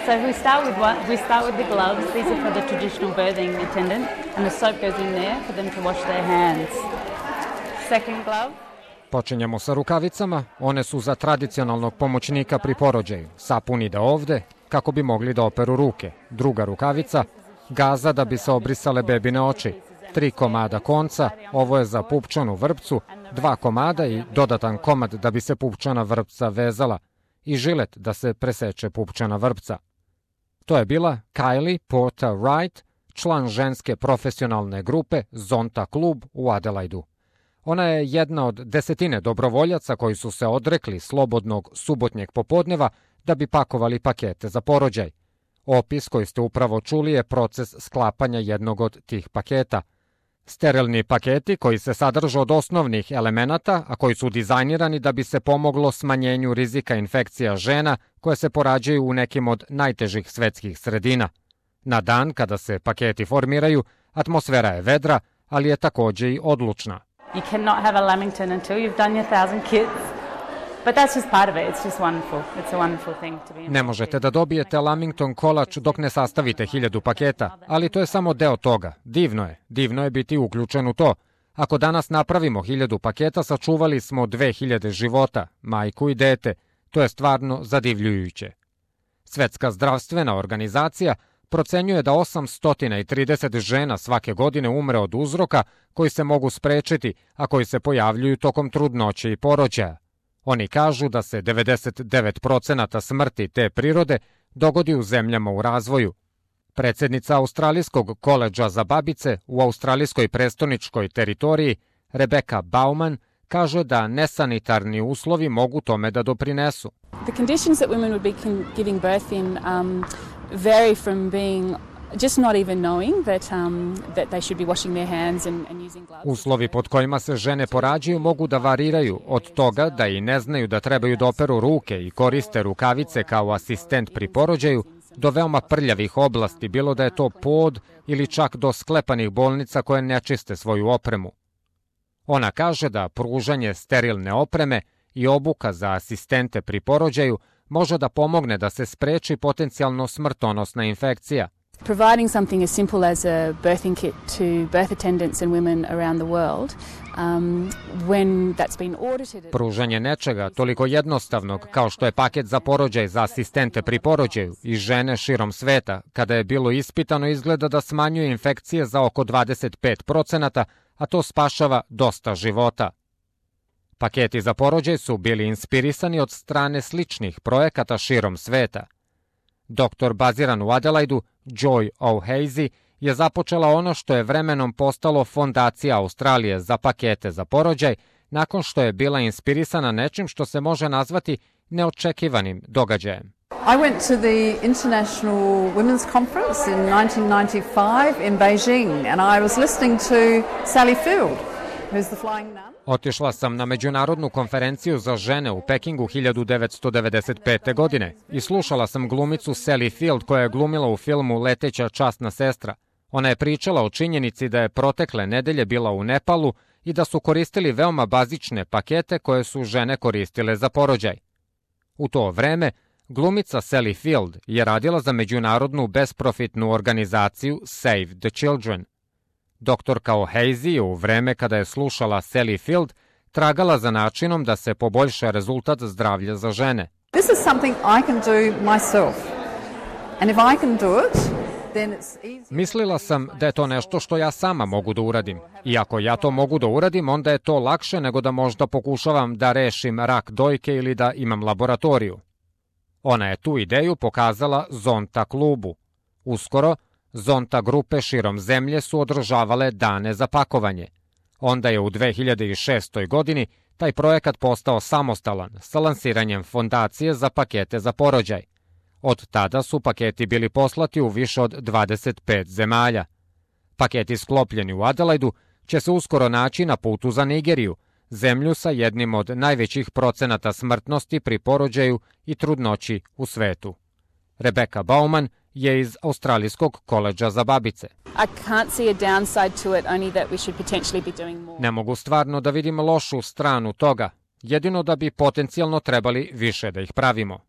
So we start with the gloves. These are for the traditional birthing attendant, and the soap goes in there for them to wash their hands. Second glove. Počinjemo sa rukavicama, one su za tradicionalnog pomoćnika pri porođaju. Sapun ide ovde, kako bi mogli da operu ruke. Druga rukavica, gaza da bi se obrisale bebine oči. 3 komada konca, ovo je za pupčanu vrpcu, 2 komada i dodatan komad da bi se pupčana vrpca vezala i žilet da se preseče pupčana vrpca. To je bila Kylie Porter Wright, član ženske profesionalne grupe Zonta klub u Adelaidu. Ona je jedna od desetine dobrovoljaca koji su se odrekli slobodnog subotnjeg popodneva da bi pakovali pakete za porođaj. Opis koji ste upravo čuli je proces sklapanja jednog od tih paketa. Sterilni paketi koji se sadrže od osnovnih elemenata, a koji su dizajnirani da bi se pomoglo smanjenju rizika infekcija žena koje se porađaju u nekim od najtežih svetskih sredina. Na dan kada se paketi formiraju, atmosfera je vedra, ali je takođe i odlučna. You cannot have a Lamington until you've done your 1,000 kits. But that's just part of it. It's just wonderful. It's a wonderful thing to be. Ne možete da dobijete Lamington kolač dok ne sastavite 1000 paketa, ali to je samo deo toga. Divno je biti uključen u to. Ako danas napravimo 1000 paketa, sačuvali smo 2000 života, majku i dete. To je stvarno zadivljujuće. Svetska zdravstvena organizacija procenjuje da 830 žena svake godine umre od uzroka koji se mogu sprečiti, a koji se pojavljuju tokom trudnoće i porođaja. Oni kažu da se 99% smrti te prirode dogodi u zemljama u razvoju. Predsjednica Australijskog koledža za babice u australijskoj prestoničkoj teritoriji, Rebecca Bauman, kaže da nesanitarni uslovi mogu tome da doprinesu. The conditions that women would be giving birth in vary from being just not even knowing that they should be washing their hands and using gloves. Uslovi pod kojima se žene porađaju mogu da variraju od toga da i ne znaju da trebaju da operu ruke i koriste rukavice kao asistent pri porođaju, do veoma prljavih oblasti, bilo da je to pod ili čak do sklepanih bolnica koje ne čiste svoju opremu. Ona kaže da pružanje sterilne opreme i obuka za asistente pri porođaju može da pomogne da se spreči potencijalno smrtonosna infekcija. Providing something as simple as a birthing kit to birth attendants and women around the world, when that's been audited. Pružanje nečega toliko jednostavnog kao što je paket za porođaj za asistente pri porođaju i žene širom sveta, kada je bilo ispitano, izgleda da smanjuje infekcije za oko 25%, a to spašava dosta života. Paketi za porođaj su bili inspirisani od strane sličnih projekata širom sveta. Doktor baziran u Adelaidu, Joy O'Hazy, je započela ono što je vremenom postalo Fondacija Australije za pakete za porođaj, nakon što je bila inspirisana nečim što se može nazvati neočekivanim događajem. I went to the International Women's Conference in 1995 in Beijing and I was listening to Sally Field, who's the flying nun. Otišla sam na međunarodnu konferenciju za žene u Pekingu 1995. godine i slušala sam glumicu Sally Field koja je glumila u filmu Leteća časna sestra. Ona je pričala o činjenici da je protekle nedelje bila u Nepalu i da su koristili veoma bazične pakete koje su žene koristile za porođaj. U to vreme glumica Sally Field je radila za međunarodnu besprofitnu organizaciju Save the Children. Doktorka O'Hazy je u vreme kada je slušala Sally Field tragala za načinom da se poboljša rezultat zdravlja za žene. This is something I can do myself. And if I can do it, then it's easy. Mislila sam da je to nešto što ja sama mogu da uradim. I ako ja to mogu da uradim, onda je to lakše nego da možda pokušavam da rešim rak dojke ili da imam laboratoriju. Ona je tu ideju pokazala Zonta klubu. Uskoro, Zonta grupe širom zemlje su održavale dane za pakovanje. Onda je u 2006. godini taj projekat postao samostalan sa lansiranjem fondacije za pakete za porođaj. Od tada su paketi bili poslati u više od 25 zemalja. Paketi sklopljeni u Adelaidu će se uskoro naći na putu za Nigeriju, zemlju sa jednim od najvećih procenata smrtnosti pri porođaju i trudnoći u svetu. Rebecca Bauman je iz Australijskog koledža za babice. Ne mogu stvarno da vidim lošu stranu toga, jedino da bi potencijalno trebali više da ih pravimo.